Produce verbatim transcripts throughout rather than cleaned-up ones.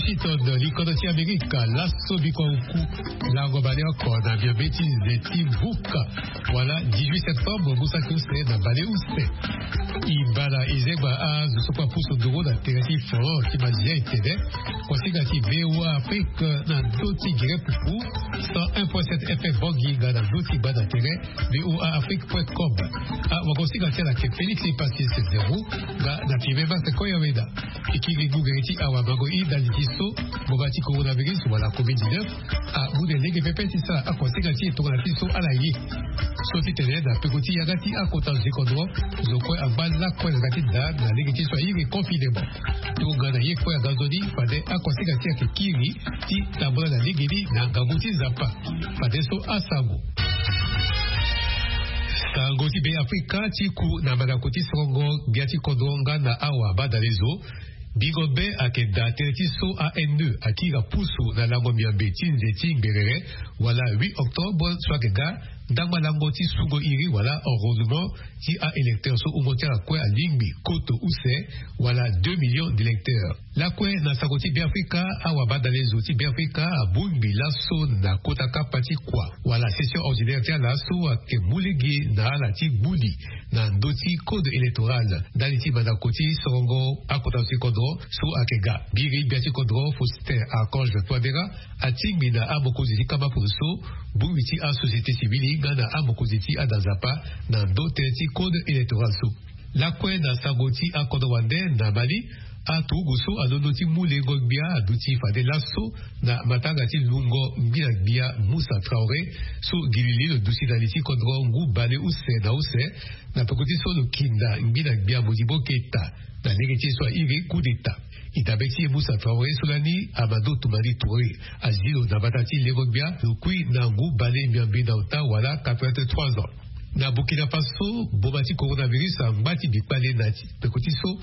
Washington, likondo ti Amerika, laso bikua uku lango baleoko na miombe ti nze ti buka, wala dix-huit septembre, mu saki use na baleuse. E baa na e zengba azo so kue apusu nduru na tere ti front ti mazia e tene, kuasinga ti VOA Afrique na ndö ti gere pupu, cent un point sept FM Bangui, nga na ndö ti gbanda tere, VOA Afrique point com. Ah, wagosinga ti ala ke Félix Epassis Zero, nga na Pime Martin Koyaweda. E kiri ngu gere ti awamango e ndali ti so, ngboma ti coronavirus wala covid dix-neuf, amu na e lege pepe ti sara akuasinga ti e tongana ti so ala ye. So ti tene na peko ti yanga ti akota zo ti kodro, zo kue angba lakue na yanga ti da na lege ti so a iri confinement. Tongana ye kue anga nzoni, fade akuasinga ti e ayeke kiri ti tambula na lege ni na ngangu ti Nzapa. Fadeso asango. Sango ti Be Afrika ti ku na mandako ti sorongo gbia ti kodro nga na awa badalezo. Bingo be ayeke daa tënë ti so A N E akiri apusu na lango miombe ti nze ti ngberere, wala huit octobre so ayeke ga, ndangba lango ti sungo iri wala enrôlement ti a-électeur so wungo ti ala kue alingbi koto use, wala deux millions d'électeurs. Lakue na sango ti Be Afrika, awa badalezo ti Be Afrika abongbi laso na kota kapa ti kua wala session ordinaire ti ala so ayeke mu lege na ala ti gbu li na ndö ti code électoral ndali ti mandako ti sorongo akota zo ti kodro so ayeke ga. Biri gbia ti kodro Faustin Archange Touadéra atingbi na amokonzi ti kama poroso, bongbi ti asociété civile nga na amokonzi ti ada nzapa na ndö tënë ti code électoral so. Lakue na sango ti akodro wande na Mali, aturugu so alondo ti mu lengo gbia aduti fade laso na matanga ti lungo ngbina gbia Moussa Traoré so gi li li lo duti na li ti kodro ngu baleuse na use, na peko ti so lo kinda ngbina gbia Modibo Keïta na lege ti so a iri coup d'État. E dabe ti e Moussa Traoré so lani Amadou Toumani Touré azi lo na mbata ti lengo gbia, lo kui na ngu bale miombe na ota wala quatre-vingt-trois ans. Na Burkina Faso, mboma ti coronavirus angba ti bi kpale na ti peko ti so,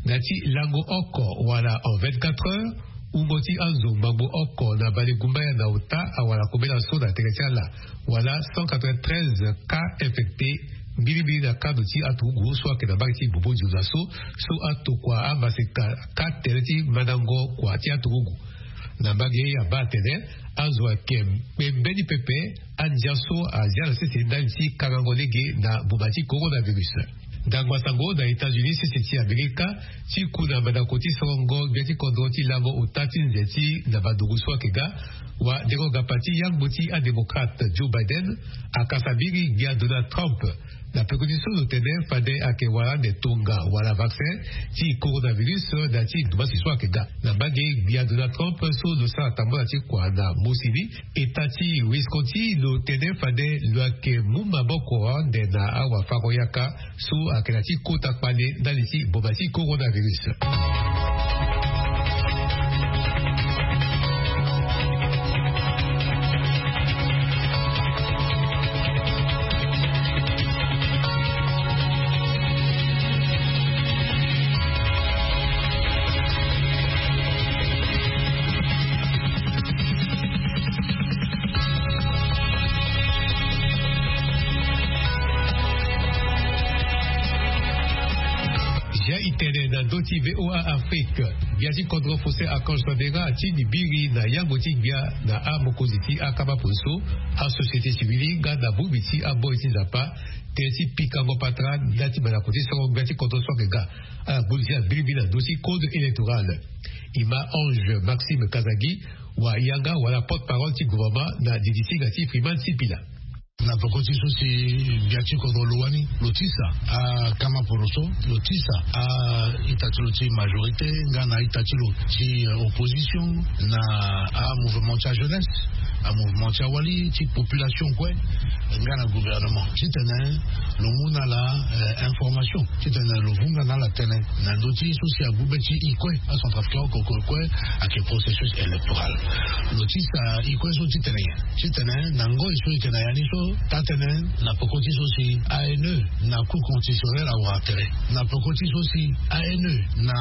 na ti lango oko wala en vingt-quatre heures, wungo ti azo ngbangbo oko na bale gumbaya na ota awara kobela so na tere ti ala, wala cent quatre-vingt-treize cas infectés, mbirimbiri na kado ti aturugu so ayeke na mbage ti bobo nzunza so, so atokua amaseka ka tere ti mandango kua ti aturugu. Na mbage ye abaa atene azo ayeke kpe mbeni pepe andia so azia na sese ndali ti kangango lege na mboma ti coronavirus. Ndangba sango na États-Unis, sese ti Amerika, ti ku na mandako ti sorongo gbia ti kodro ti lango ota ti nze ti na banduku so ayeke ga, wa dengo gapa ti yangbo ti adémocrate Joe Biden akasa biri gbia Donald Trump na peko ti so lo tene fade ayeke wara ande tonga wala vaccin ti coronavirus na ti ndumasi so ayeke ga. Na mbage gbia Donald Trump so lo sara tambula ti kua na mosi ni, eta ti Wisconsin lo tene fade lo yeke mu maboko ande na awafango-yaka so ayeke na ti kota kpale ndali ti mboma ti coronavirus. Zia e tene na ndö ti VOA Afrique, gbia ti kodro Faustin Archange Touadéra atingbi biri na yangbo ti gbia na amokonzi ti akama poroso, asociété civile nga na bongbi ti aboi ti nzapa, tënë ti pikango patara nda ti mandako ti sorongo gbia ti kodro so ayeke ga. Ala gbu li ti ala mbirimbiri na ndö ti code électoral. E ma Ange Maxime Kazagi, wa yanga wala porte-parole ti gouvernement na didi ti hinga ti Freeman Sipila. Na peko ti so si gbia ti kodro lo wani lo tisa akama poroso, lo tisa a-ita ti lo ti majorité nga na a-ita ti lo ti, euh, opposition, na amouvement ti ajeunesse, amouvement ti awali ti population kue nga na gouvernement titene lo mu na ala, euh, information titene lo vunga na ala tënë na ndö ti so si agbu be ti e kue, acentrafricain oko kue ayeke processus électoral. Lo tisa e kue so titene nyen? Titene na ngoi so e yeke na ya ni so, Tatene na poko ti so si ane na cour constitutionnel awara tere, na poko ti so si ane na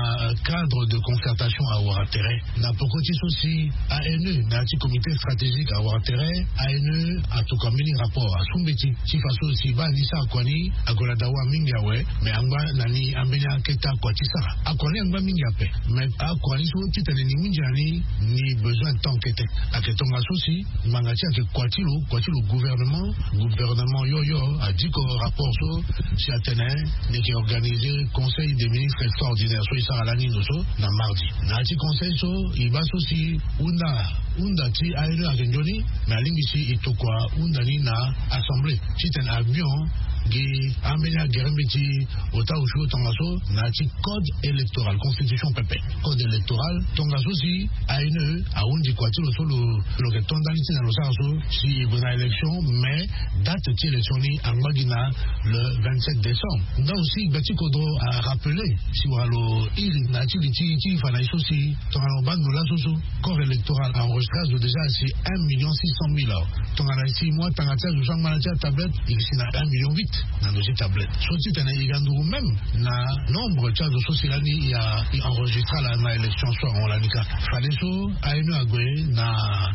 cadre de concertation awara tere, na poko ti so si ane na ya ti comité stratégique awara tere. Ane atuka mbeni rapport asu mbeti ti faso si baa ni sara kua ni ague na dawa mingi awe. Mais angba na ni ambeni akete akua ti sara akua ni angba mingi ape. Mais akua ni so titene ni winzi na ni, ni besoin temps kete. Ayeke tongaso si ngbanga ti ayeke kua ti lo kua ti lo gouvernement. Gouvernement yoyo adiko rapport so si atene ni yeke organiser conseil des ministres extraordinaires so e sara lani ndo so na mardi. Na ya ti conseil so e baa so si hunda hunda ti ane ayeke nzoni. Mais alingbi si e tokua hunda ni na assemblée titene abion gi ambeni agere mbeti ota osio tongaso na ya ti code électoral constitution pepe. Code électoral tongaso si ane ahunzi kua ti lo so lo lo yeke to ndali ti na lo sara so si e gue na élection. Mais date ti élection ni angba gi na le vingt-sept décembre. Nda aussi gbe ti kodro arappeler si wara lo iri na ya ti li ti ti fa na e so si tongana lo baa ndo laso so corps électoral enregistré azo déjà si un million six cent mille awa. Tongana e si mu atanga ti azo so angba na ti atablette e si na un million huit na ndo ti tablette so titene e ga nduru même na nombre ti azo so si lani e enregistre ala na élection so ahon lani kâ. Fadeso ane ague na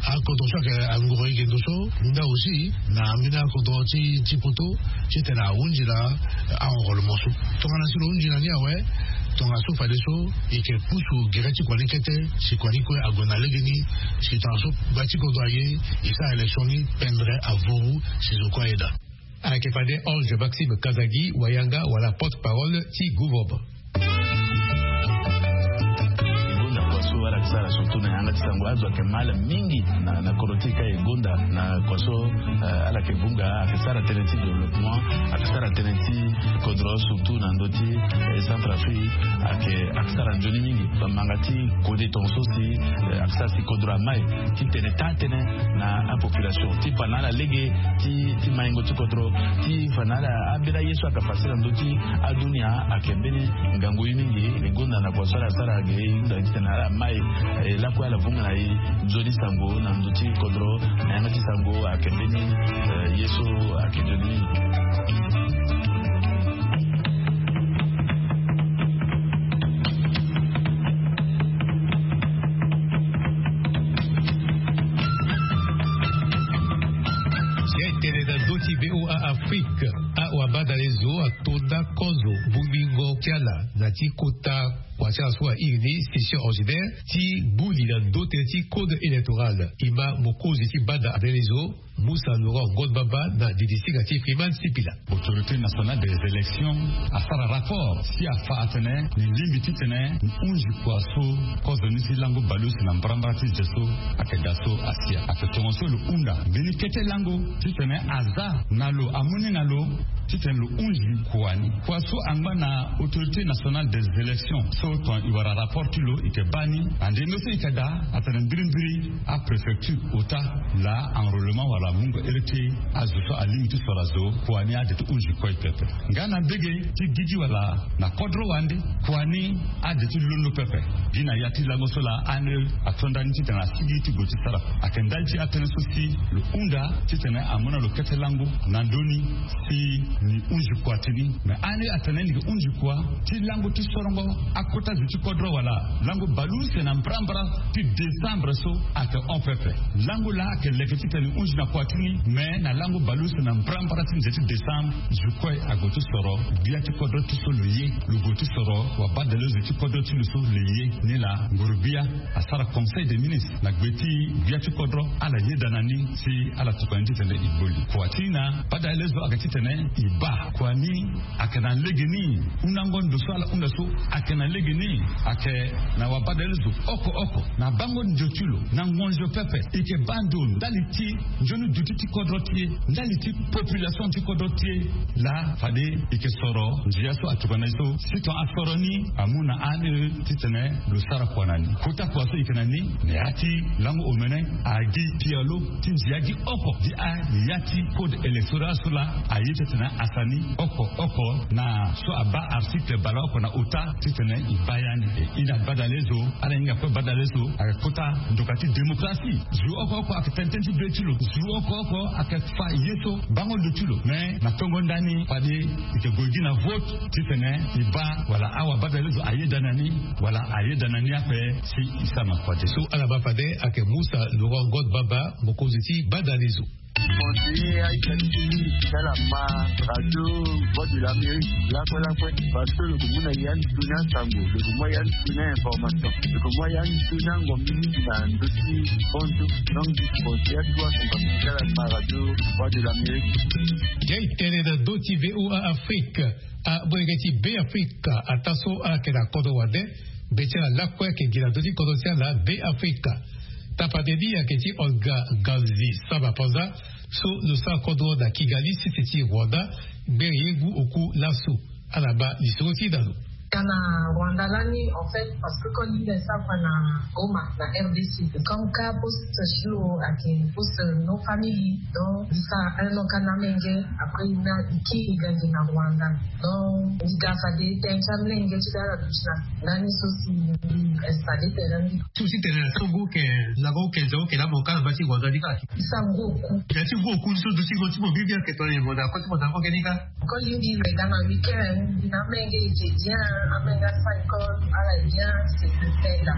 akodro so ayeke anguru eke ndo so nda aussi na ambeni akodro ti ti poto titene ahunzi na enrôlement so. Tongana si lo hunzi na ni awe tongaso fadeso e yeke pusu gere ti kua ni kete si kua ni kue ague na legeni. Si tongaso gba ti kodro aye e sara élection ni pendre avuru si zo kue aye daa. Ayeke fade Ange Maxime Kazadi Wayanga wala porte-parole ti gouvernement. Gonda kua so ala yeke sara surtout na yanga ti sango azo ayeke mal mingi na na kodro ti e ka e gonda na kua so. Ala yeke vunga ayeke sara tënë ti développement ayeke sara tënë ti kodro surtout na ndö ti Centrafrique. Ayeke ayeke sara nzoni mingi bambanga ti kode tongaso si ayeke sara si kodro amai titene taa tënë na apopulation ti fa na ala lege ti maingo ti kodro ti fa na ala ambeni aye so ayeke fade na ndö ti adunia ayeke mbeni ngangu ye mingi. E gonda na kua so ala sara ge e hunda titene ala mai lakue ala vunga na e nzoni sango na ndö ti kodro na yanga ti sango ayeke mbeni ye so ayeke nzoni mingi. Ti tene na ndö ti VOA Afrique awabadale zo atonda kozo mbungbingo ti ala na ti kota kua ti ala so airi ni session ordinaire ti buli na ndö tënë ti code électoral. E ma mokonzi ti banda abele zo Musa Laurent Ngon Bamba na didi singa ti Freeman Sipila. Autorité nationale des élections asara rapport si afa atene ni lingbi titene ni hunzi kua so kozo ni ti lango baleuse na mbarambara ti ze so ayeke daa so asia ayeke tongaso lo hunda mbeni kete lango titene aza na lo amu ni na lo titene lo hunzi kua ni. Kua so angba na autorité nationale des élections so ton e wara rapport ti lo e yeke baa ni ande no so e yeke daa atene mbirimbiri apréfecture ota laa enrôlement wala mungo ere ti azo so alingbi ti soro azo kua ni ade ti hunzi kue pepe. Nga na mbege ti gigi wala na kodro wande kua ni ade ti londo pepe. Gi na ya ti lango so laa ane ato ndani titene asigi ti gue ti sara ayeke ndali ti atënë so si lo hunda titene amu na lo kete lango na ndö ni si ni hunzi kua ti ni. Mais ane atene ni yeke hunzi kua ti lango ti sorongo akota zo ti kodro wala lango baleuse na mbarambara ti décembre so ayeke hon pepe. Lango laa ayeke leke titene ni hunzi na kua ti ni mais na lango baleuse na mbarambara ti nze ti décembre zo kue ague ti soro gbia ti kodro ti so lo ye lo gue ti soro wabadale zo ti kodro ti lo so lo ye. Ni laa ngoro gbia asara conseil des ministres na gbe ti gbia ti kodro ala yeda na ni si ala tokua ni titene e gbo li kua ti ni na badale zo ayeke titene e baa kua ni ayeke na legeni hundango ndo so ala hunda so ayeke na legeni ayeke na wabadale zo oko oko na bango ndio ti lo na ngonzo pepe e yeke baa ndo ndali ti nzoni duti ti kodro ti e ndali ti population ti kodro ti e. Laa fade e yeke soro ndia so atokua na e so si ton asoro ni amu na ane titene lo sara kua na ni kota kua so e yeke na ni na ya ti lango omene agi pialo ti ndia gi oko gi a na ya ti code électoral so laa aye titene asara ni oko oko na so abaa article baleoko na ota titene e baa ya ni. E na badale zo ala hinga kue badale zo ayeke kota ndoka ti démocratie zo oko oko ayeke tene tënë ti be ti lo zo Oko oko ayeke fa ye so bango lo ti lo. Mais na tongo ndani fade e yeke gue gi na vote titene e baa wala awabadale zo ayeda na ni, wala ayeda na ni ape. Si e sara na kua te. So ala baa fade ayeke musa laurent god baba, mokonzi ti badale zo. Conseiller aita ti ti ala ma radio voix de l'amérique lakue lakue. Parce que lo ke mu na ya ni tuni asango, lo ke mu ya ni tuni information, lo ke mu ya ni tuni angombi mingi na ndö ti konzo. Donc discours ya toi son particulier la radio voix de l'amérique. Ye e tene na ndö ti voa afrique. Amolenge ti be afrika ataa so ala yeke na kodro wande. Be ti ala lakue ayeke gi na ndö ti kodro ti ala be afrika. Tapande ni ayeke ti olga ganzi samba panza so lo sara kodro na kigali sese ti rwanda. Gbere ye ngu oku laso. Ala baa lisoro ti e na lo. Ka na rwanda lani en fait parce que koli nde sara kua na goma na rdc. Comme ka poste ti lo ayeke poste no famille. Donc e sara un an ka na amenge. Après e na e kiri gangi na rwanda. Donc e ga fade tene ti amenge ti ga ala duti na ndani so si e installe tene ni. Ti tene na so ngu ke lango okenze oke na mo ka na mba ti rwanda ni kala. E sara ngu oku. Ya ti ngu oku ni so duti ngo ti mo bibi ayeke tongana e mo na ko ti mo na ngo ke ni ka. Ko lingbi lo e ga na weekend. Na amenge e ke bien. Amenge asara école ala e bien. C'est que tenda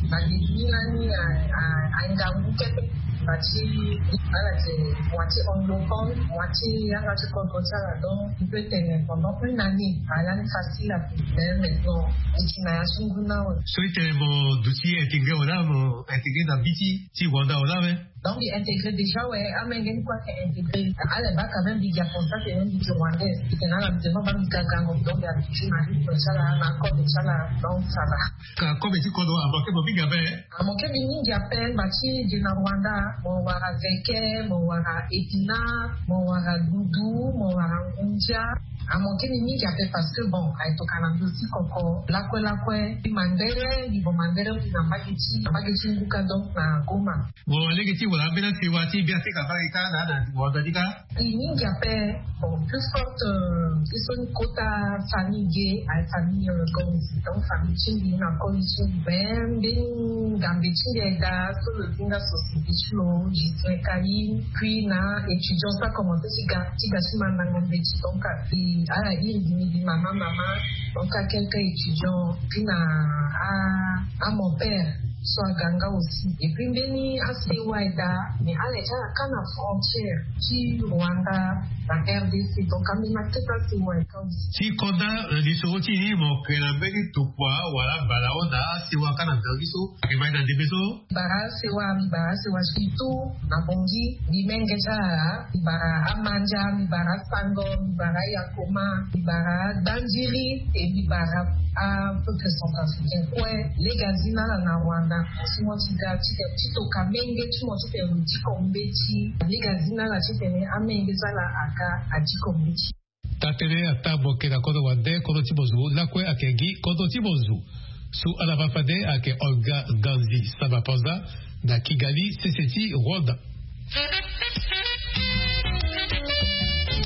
na début lani a a a ngangu kete. Mba ti ala ti moitié anglophone moitié yanga ti kodro ti ala. Donc e peut tene pendant une année ala ni facile ape. Mais maintenant e ti na ya so ngu na awe. So e tene mo duti intégré wala mo intégré na bi ti ti rwanda wala awe. Donc mbi intégré déjà we. Amenge ni kue ayeke intégré. Ala e baa quand même mbi gi apensé atene mbi gi rwandais. Mbi tene ala mbi tene mo baa mbi ga gango donc mbi habitué na rythme ti ala na code ti ala. Donc ça va. Ka kobe ti kodro amanke mo mingi ape. Amanke mbi mingi ape. Mba ti gi na rwanda mo wara veke, mo wara épinard, mo wara dudu, mo wara ngundia. Amanke mbi mingi ape parce que bon aye tokana mbi aussi koko lakue lakue. Mbi mandere mbi bon mandere mbi na mbage ti na mbage ti ngu ka donc na goma. Bon alege ti wala ambeni asiwa ti biafrika mbage ka na na wanda ni ka. Mbi mingi ape. Bon plus forte. Ye so ni kota famille ge aye famille gonzi donc famille ti mbi na koli ti mbi mais mbeni ngambe ti mbi aye daa so lo zinga société ti lo justin kayi. Puis na étudiant so akomense ti ga ti ga ti mandango mbeti donc ala iri gi mbi mama mama. Donc akelke étudiant puis na amonpère so aga nga aussi. Et puis mbeni asewa aye daa mais ala ye ti ala ka na frontière ti rwanda na rdc donc ambeni akete asewa aye ka aussi. Ti konda na lisoro ti ni mo ke na mbeni tokua wala bala hon na asewa ka na nzangi so? Ake mai na ndembe so. Bara asewa mbi bara asewa surtout na bongi mbi menge ti ala. Mbi bara amandia mbi bara asango mbi bara ayakoma mbi bara adandiri. E mbi bara apeuple centrafricain kue. Lege azi na ala na rwanda si mo ti ga ti tene ti toka menge ti mo ti tene lo diko mbeti. Lege azi na ala ti tene amenge ti ala aga adiko mbeti. Tatene ataa mo yeke na kodro wande kodro ti mo zo lakue ayeke gi kodro ti mo zo. So ala ma fade ayeke olga ganzi samba panza na kigali sese ti rwanda.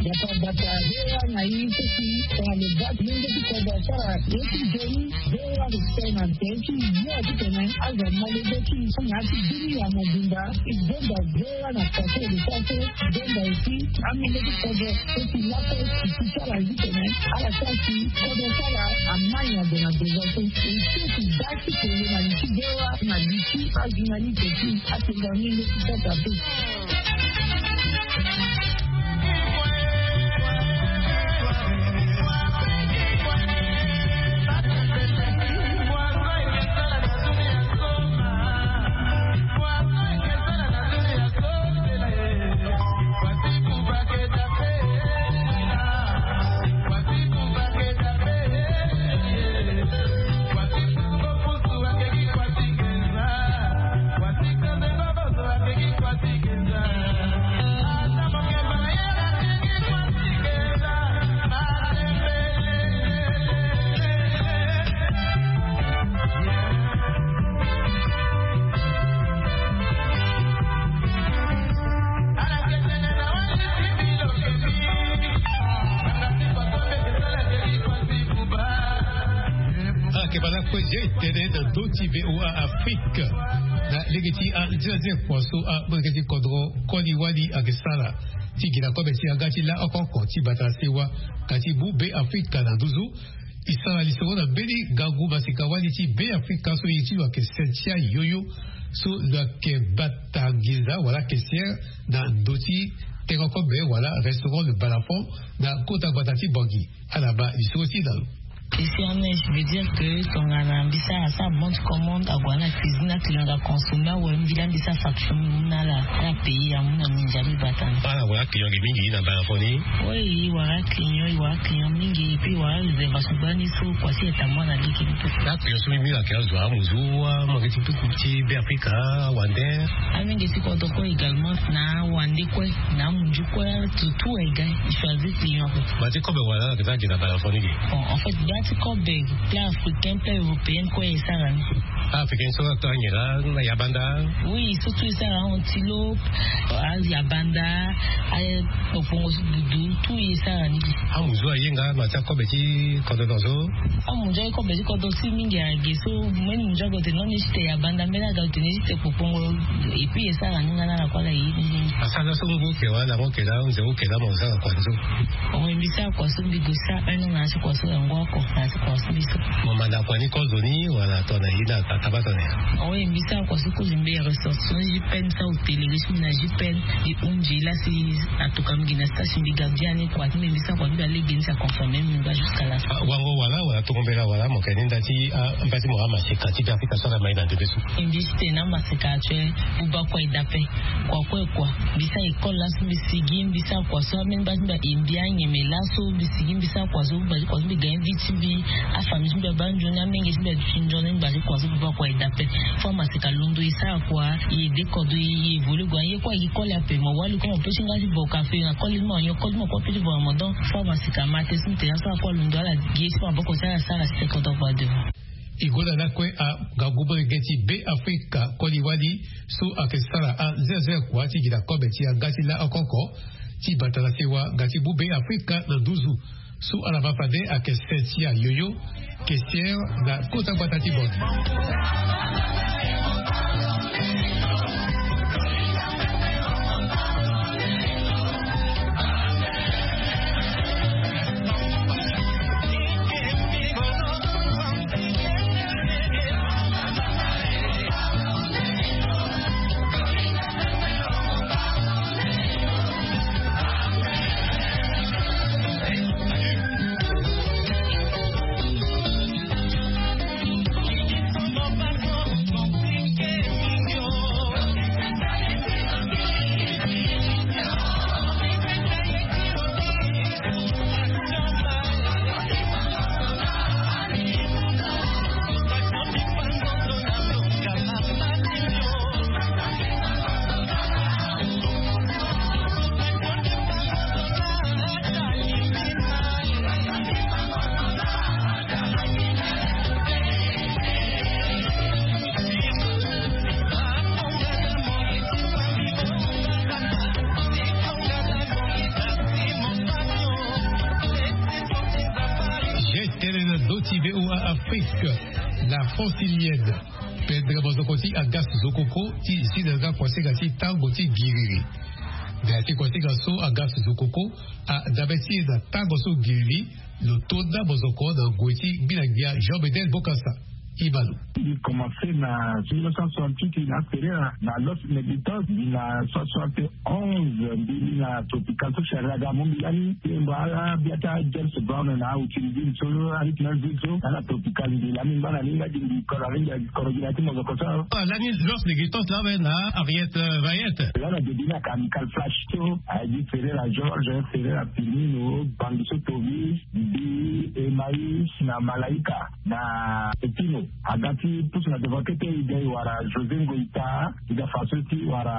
Bata bata voa na ye so si tongana lo baa ti lenge ti kodro asara ye ti nzoni. Voa lo tene na nzoni ti yo ti tene azo amolenge ti so na ya ti bini ya mobimba. E zonda voa na pase lo sara so zonda aussi. Amolenge ti kodro so si laso ti ti ti ala zi tene ala sara si kodro ti ala amai na gue na gue so. E so si baa ti kolo na li ti voa na li ti ajournaliste ti atonga ni nde ti kota so. Ye tene na ndö ti VOA Afrique na lege ti anzia nzia kua so amolenge ti kodro koli wali ayeke sara ti gi na kobe ti yanga ti la oko oko ti bata na sewa ka ti mu Be Afrika na nduzu. E sara lisoro na mbeni ngangu maseka wali ti Be Afrika so ye ti lo ayeke Cynthia Yoyo, so lo yeke bata nginza wala caissière na ndö ti tengo kobe wala restaurant Le Balafon na kota gbata ti Bangui. Ala baa lisoro ti e na lo. Ici en Inde, je veux dire que tongana mbi sara, asara bon ti commande, ague na cuisine, aclient aga consommer, awe mbi laa mbi sara facture, mbi mu na ala, ala payer, amu na mbi ndia mbi bata ni. Ala wara client ge mingi na Balafon ni? Oui, e wara client, e wara client mingi, et puis e wara réservation gbani so kua si e ta mu na lege ni. Aclient so mingi mingi ayeke azo amuzu, amange ti puku ti Be Afrika, awande? Amenge ti kodro kue également, na awande kue, na amunzu kue, tout, tout aye ga, e choisir client kue. Ba ti kobe wala ala yeke za gi na Balafon ni ge? Bon, en fait, ba ti kobe, plat africain, plat européen, kue e sara ni. Africain so ato anyela, na yabanda? Oui, surtout e sara antilope, ayabanda, akpokpongo so dudu, tout e sara ni. Amunzu aye nga na ti akobe ti kodro so? Amunzu aye kobe ti kodro si mingi ayeke so, mbeni munzu aga lo tene non, ni ti te yabanda, mbeni aga lo tene ni ti te kpokpongo, et puis e sara ni nga na ala kue, ala ye ni mingi. Asara so ngu oke wala lango oke laa, nze oke laa, mo sara kua ni so? Awe mbi sara kua so, mbi gue sara un an na ya ti kua so, yango oko na ya ti kua so mbi so. Mo manda kua ni kozo ni wala tongana ye ni ataba tongana nyen? Awe mbi sara kua so kozo, mbi ressortissant JPN, mbi sara hôtellerie ti mbi na JPN. E hunzi laa si atoka mbi gi na stage, mbi ga biani kua ti mbi, mbi sara kua ti mbi na lege ni, si aconfirmer mbi nga jusqu'à la fin. Ah, wango wala, wala tongo mbela wala, mo yeke ni nda ti, ah, mba ti mo amaseka ti Be Afrika so ala mai na ndembe so? Mbi ti tene amaseka actuel, buba kua e daa ape. Kua kue kua. Mbi sara école laso, mbi sigi, mbi sara kua so, ameni mba ti mbi aye mbi anyeme laso, mbi sigi, mbi sara kua so, mba ti kua so, mbi ga invite ti mbi, afamille ti mbi abaa nzoni, amenge ti mbi aduti nzoni, mba ti kua so, buba kua e daa ape. Faut amaseka londo e sara kua, e aide kodro, e évolue kua, ye kue ayeke koli ape, mo wali kue mo pe ti nga ti boka ape, na koli ti mo anyon, koli ti mo kue pe ti boka mo, donc faut amaseka ma te, si mo tene asara kue alondo, ala gi ye ti maboko ti ala, asara si te kodro kua devant. E gonda lakue angangu molenge ti Be Afrika koli wali so ayeke sara anzenze kua ti gi na kobe ti yanga ti la oko oko ti bata na sewa nga ti mu Be Afrika na nduzu. So ala ma fade ayeke Cynthia Yoyo, caissière na kota gbata ti Bangui. Ye tene na ndö ti VOA Afrique, la francilienne. Pendere mozoko ti Agas Zokoko ti zi na yanga kuasinga ti tango ti giriri. Na ya ti kuasinga so, Agas Zokoko adabe ti e na tango so giriri lo to nda mozoko na ngoi ti ngbi na ngia Jean Bedel Bokassa. Ibalo. Mbi commencé na mille neuf cent soixante-huit na Ferreira na Los Negritos, mbi na soixante-onze mbi na Tropical so Ferreira ga mo mbi lani. Mbi mba ala bia ta James Brown na Outilville so, Arit Melville so, na na Tropical mbi lani mba na linga di mbi kora ringa koro gi na ti mozoko so. Lani Los Negritos la we na Harriet, euh, Vayet. La na début na ka Amical Flash so, a di Ferreira Georges, Ferreira Firmino, Bangiso Tovis, Bi Emmaüs na Malaika na Pepino. Aga ti Pusu na devant kete e ga e wara José Ngoita, e ga faso ti wara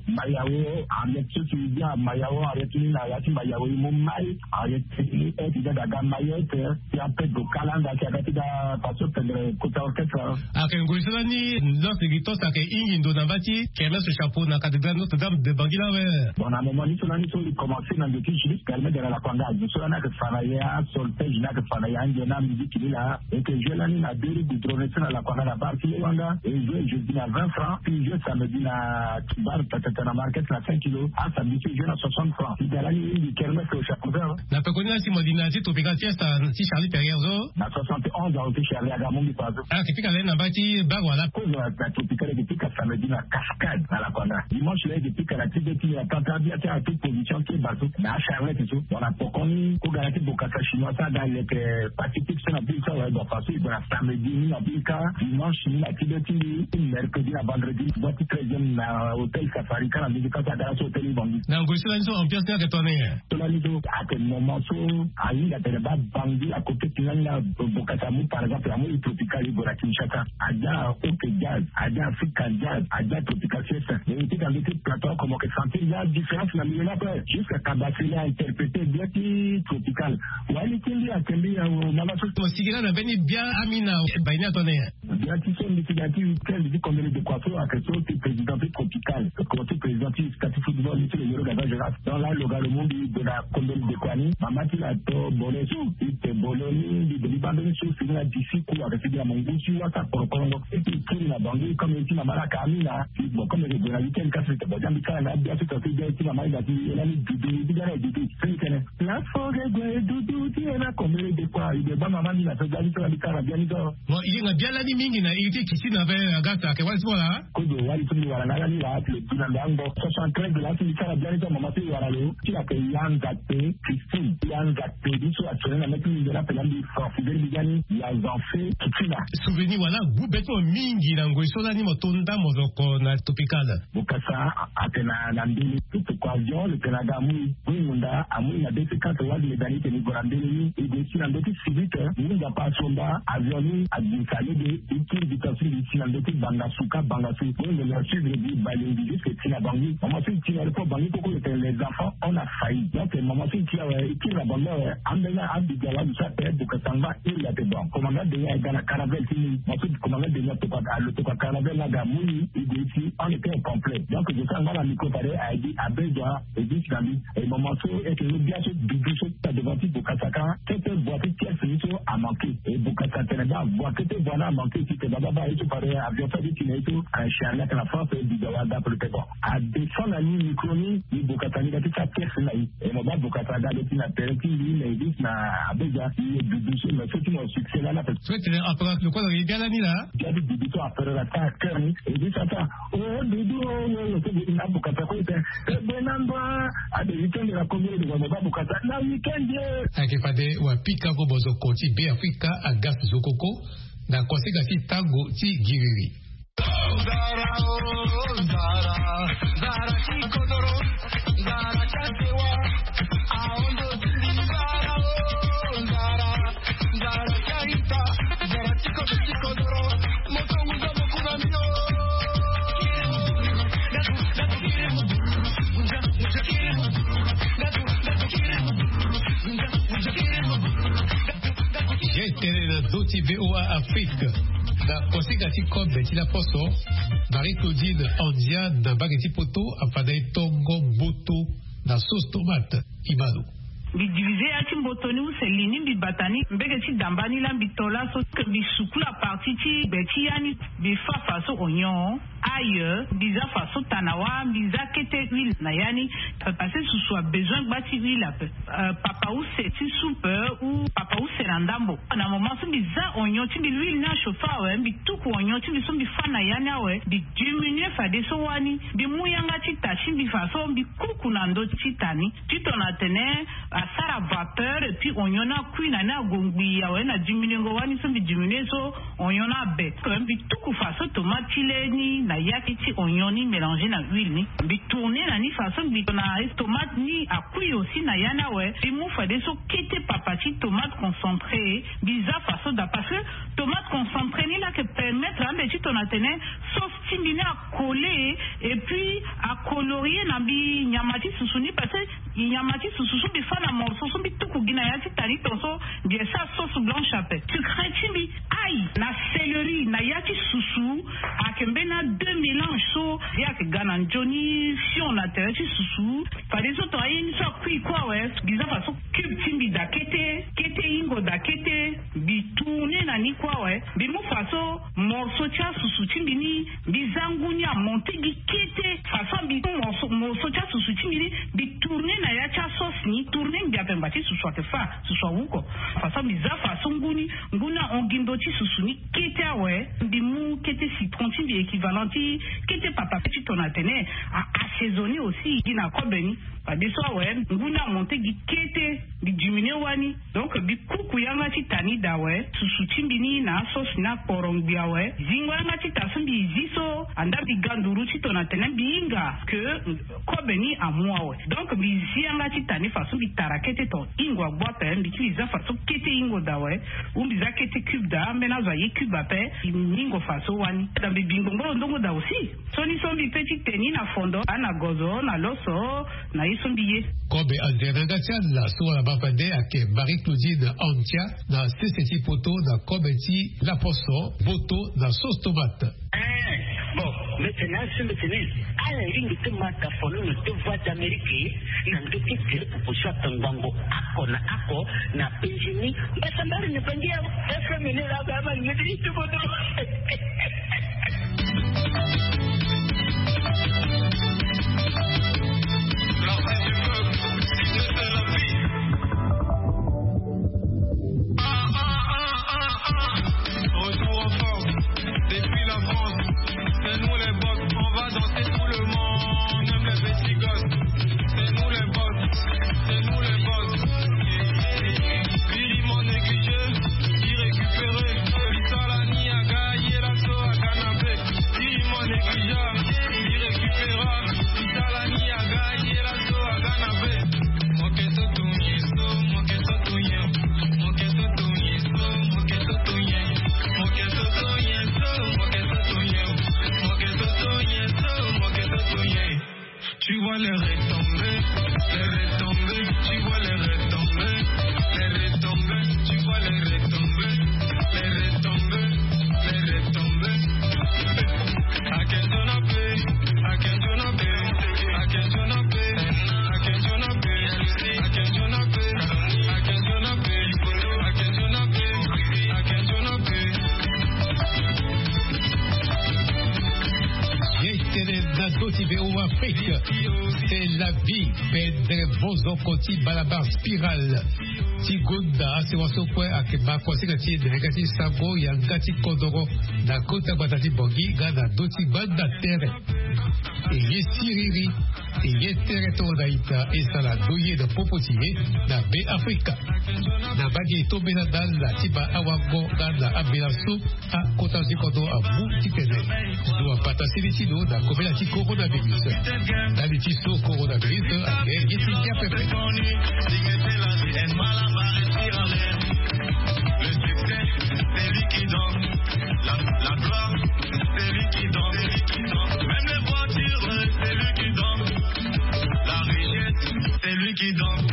Mayawo, Henriette so si e ga Mayawo, Henriette ni na ya ti Mayawo e mu mai, Henriette ni e ti ga ga Mayotte, ti ape do kalanga ti aga ti ga faso pendre kota orchestre. Ayeke ngoi so lani Notre Dame gi toso ayeke hingi ndo na mba ti kermesse chapeau na cathédrale Notre-Dame de Bangui la awe. Bon, na moment ni so lani so e commencer na ndo ti juillet, permet de la lakwanga azo so lani ayeke fa na ya solfège ni ayeke fa na ya nge na musique ni la. E yeke jouer lani na deux rues goudronnées so na lakwanga na bar ti Lewanga. E jouer jeudi na vingt francs, puis jouer samedi na bar tatata na market na cinq kilos. Asamedi so e jouer na soixante francs. Ti ga lani e mingi kermesse au chapeau. Na pekoni lani si mo li na ya ti Tropical Fiesta ti Charlie Perrier so. Na soixante et onze azo ti Charlie aga amu mbi fa so. Ayeke pika lani na mba ti bar wala? Kozo na Tropical e yeke pika samedi na Cascade na lakwanga. Dimanche la e yeke pika na ti be ti ya tata bia ti atout position ti e baa so na Charlette so. Bon, na pokoni ko ga na ti bokasa chinois so aga leke Pacifique so na ville so awe. Bon, faso e gue na samedi ni na ville ka, dimanche ni na ti be ti mbi, mercredi na vendredi boi ti treizième na hôtel Safari ka na mbi ka so aga na so hôtel ni Bangui. Na ngoi so lani so ambiance ni ayeke tongana nyen? So lani so ayeke moment so ahinga atene baa Bangui akoke ti lani na bokasa amu par exemple amu i Tropical e gue na Kinshasa. Adia OK Jazz, adia Africa Jazz, adia Tropical Fiesta. Mais e ti ka mbi ti plateau oko mo yeke sentir ya différence na milieu ni ape. Jusqu'à Kabasele a interpréter bien ti Tropical. Wali ti mbi ayeke mbi awo mama so. Mo sigi lani na mbeni bia amina. Bai ni atone. Bia ti so mbi sigi na ti week-end ti Kombele de Kua so ayeke so ti président ti Tropical. Ko ti président ti sta ti football ni ti le Yoro Gaza Jonas. Donc la lo ga lo mu mbi gue na Kombele de Kua ni. Mama ti la to bole so. Ite bole ni mbi gue mbi baa mbeni so sigi na disi ku ayeke sigi na mo ngu ti wasa korokorongo. E ti kiri na bango comme e ti mama laa ka amina. Bon, comme e gue na week-end kasi, bon, jambi kara na bia so, so, so, so, so, mama, ina ti, ina ni dudu, ni ti gara dudu. So, ni kene. La fo ge gue dudu, ti ena komere de kwa, i de ba mama, ni na so, jambi so, jambi kara bia ni so. Bon, i ye nga bia lani mingi na iri ti kiti na ve, Agathe, ake wali so la? Kozo wali so ni wara na lani la, le du na ndango. Soixante-treize de la, so ni kara bia ni so, mama, so i wara lo. Ti la ke yanza te, Christine. Yanza te, ni so, actuellement, na meti ni de la, pe la, ni, France, de, ni, yani, yanza fe, kiti na. Souvenir wala, gu beto mingi na ngoi so lani mo to nda mo zo ko na Tropical. Bokasa atene na mbele ti toko avion lo tene aga amui. Mui munda amui na be ti quatre wali le dani tene i gue na mbele ni. I gue si na ndö ti sivite, ngunza pa asomba avion ni agbinsa lege. I kiri bita so i si na ndö ti Bangasuka, Bangasu. Ngunza lo suivre gi Balengi jusque ti na Bangui. Mama so i ti na le port Bangui koko lo tene les enfants on a failli. Donc mama so i ti awe, i kiri na Bangui awe, ambeni abiga wali so ape Bokasa ngba. Il a été bon. Commandant Denis aga na carnaval ti ni. Ensuite, commandant Denis atokua, atokua carnaval na ga moni, il dit ici, on était au complet. Donc, je sens mal à micro, fallait, a dit, à besoin, et dit, Sami, et maman so, et que le bien se doudou, so, ta devant ti Bokasa ka, kete voix ti tiers, ni so, a manqué. Et Bokasa tene ba, voix kete voix na a manqué, ti te baba ba, et so, fallait, avion, sa, dit, mais so, un chien, là, que la France, et dit, ouais, d'après le bon. A descend na ni micro ni, ni Bokasa ni ga ti sa tiers na i. E mo ba Bokasa aga lo ti na tere ti mbi na e gi ti na abeja i ye dudu so me so ti mo succès lani ape. So e tene apara lo kue lo ye bia lani laa. Bia ti dudu so apere la ta cœur ni e gi ti ata. O dudu o o lo so gi ti na Bokasa kue e tene. E be na ndo a ade weekend la kongolo de mo ba Bokasa na weekend ye. Ayeke fade wa pika vo mo zo ko ti Be Afrika aga so zo koko na koseka ti tango ti giriri. Ye tene na ndö ti V O A Afrique na koseka ti kobe ti laposo. Marie Claudine Andia na mbage ti poto afanda e tongo mboto na sauce tomate. Imano. Mbi divize ya ti mboto ni use li ni mbi bata ni mbege ti damba ni laa mbi to laso ke mbi sukula parti ti gbe ti ya ni. Mbi fa faso onyon, aye, mbi za faso tanawa, mbi za kete huile na ya ni. Papa se susu a besoin gba ti huile ape. Papa use ti soupe ou papa use na ndambo. Na moment so mbi za onyon ti mbi huile ni achauffe awe mbi tuku onyon ti mbi so mbi fa na ya ni awe mbi diminuer fadeso wani mbi mu yanga ti ta ti mbi faso mbi kuku na ndö ti ta ni. Ti tongana atene asara vapeur et puis onyon ni akui na ni ago ngbii awe na diminuengo wani so mbi diminuer so onyon ni abe. Mbi tuku faso tomate ti le ni na yaki ti onyon ni mélanger na huile ni. Mbi tourner na ni faso mbi na tomate ni akui aussi na ya ni awe mbi mu fadeso kete papa ti tomate concentré. Mbi za faso daa parce que tomate concentré ni la yeke permettre Tongana tene sauce ti mbi ni akole, et puis akolorie na mbi nyama ti susu ni, parce que nyama ti susu so mbi fa na morceau so mbi tuku gi na ya ti tani ton so, mbi esa sauce blanche ape. Sucre ti mbi, ail na céleri na ya ti susu, ayeke mbeni deux mélanges so. Ye ayeke ga na nzoni fion na tere ti susu. Fadeso tongana ye ni so akui kue awe, mbi za faso cube ti mbi daa kete, kete hingo daa kete, mbi tourner na ni kue awe. Mbi mu faso morceau ti asusu ti mbi ni, mbi za ngu ni amonter gi kete. Faso mbi mu morceau, morceau ti asusu ti mbi ni, mbi tourner na ya ti asauce ni, tourner ngbia pemba ti susu ayeke fa, susu awuko. Faso mbi za faso ngu ni, ngu ni ahon gi ndo ti susu ni kete awe. Mbi mu kete citron ti mbi, équivalent ti kete papa ti tongana tene a assaisonner aussi gi na kobe ni. Fadeso awe, ngu ni amonter gi kete, mbi diminuer wani. Donc mbi kuku yanga ti tani daa awe, susu ti mbi ni na asauce ni akporo ngbi awe. Zingo yanga ti ta so mbi zi so, andaa mbi ga nduru ti tongana tene mbi hinga ke kobe ni amu awe. Donc mbi zi yanga ti tani faso mbi tara kete ton hingo agbu ape, mbi ti mbi za faso kete hingo daa awe. Ou mbi za kete cube daa, ambeni azo aye cube ape, mbi hingo faso wani. Daa mbi bi ngbongboro ndongo daa aussi. Sioni so mbi pe ti te ni na fondo, a na gozo, na loso, na ye so mbi ye. Kobe andere na yanga ti ala so wala baa fade ayeke Marie Claudine Antia, na sese ti poto, na kobe ti laposo, mboto na sauce tomate. Eh, bon, mbi tene asi mbi tene, ala iri mbi ti ma ta fololo ti Voix d'Amérique na ndö ti tele popo so atongbango oko na oko na Benjini. Mbasambari ni bangi ya F M ni la ba ma ni ti poto. Retour en force depuis la France. C'est nous les boss, on va danser tout le monde, même les petits gosses. C'est nous les boss, c'est nous les boss. Biri mon négligé, irrécupéré. Vitalani aga, yela so aga na be. Biri mon négligé, irrécupérable. Vitalani aga, yela so aga na be. Tu vois les retombées, les retombées, tu vois les retombées, les retombées, tu vois les retombées, les retombées, les retombées. Ye tene na do ti V O A Afrique. C'est la vie. Pendre bozoko ti Balabar Spiral ti gonda asewa so kue ayeke ma kuasinga ti e na yanga ti sango yanga ti kodoro na kota gbata ti Bangui nga na do ti gbanda tere. E ye siriri, e ye tere tongana ita e sara ndo ye na popo ti e na Be Afrika. Na mbage e tombela na ala ti ma awango nga na ambela so akota ti kodro amu titene lo abata seni ti lo na kobela ti coronavirus. Ndali ti so coronavirus ayeke ye ti ngia pepe. Le succès, c'est lui qui danse. La, la gloire, c'est lui qui danse. Même les voitures, c'est lui qui danse. La richesse, c'est lui qui danse.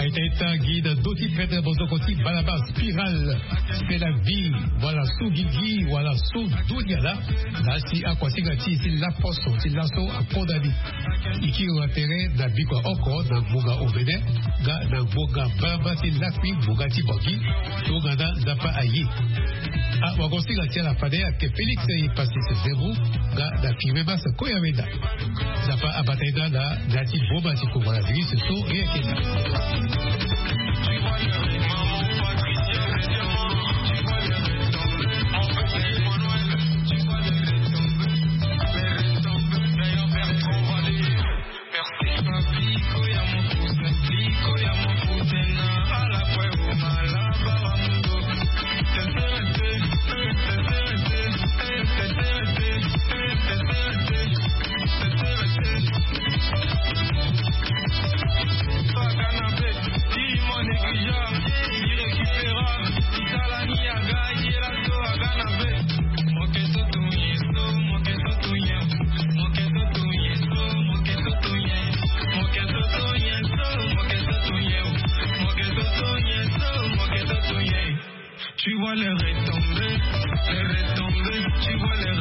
Aita ita gi na ndo ti pendre bozoko ti Balabar Spiral. C'est la vie. Wala so gigi wala so dunia la. Na si akuasinga ti e ti laposo ti laso akonda ni. E kiri na tere na bikua oko na ngbonga omene nga na ngbonga mbamba ti lakui ngbonga ti Bangui. Tongana Nzapa aye. Awagosinga ti ala fade ayeke Félix Epassis Zemmour nga na Firmin Mas Koyameda. Nzapa abata e na ala na ya ti boma ti coronavirus so e yeke na. Les retombées, les retombées, tu vois les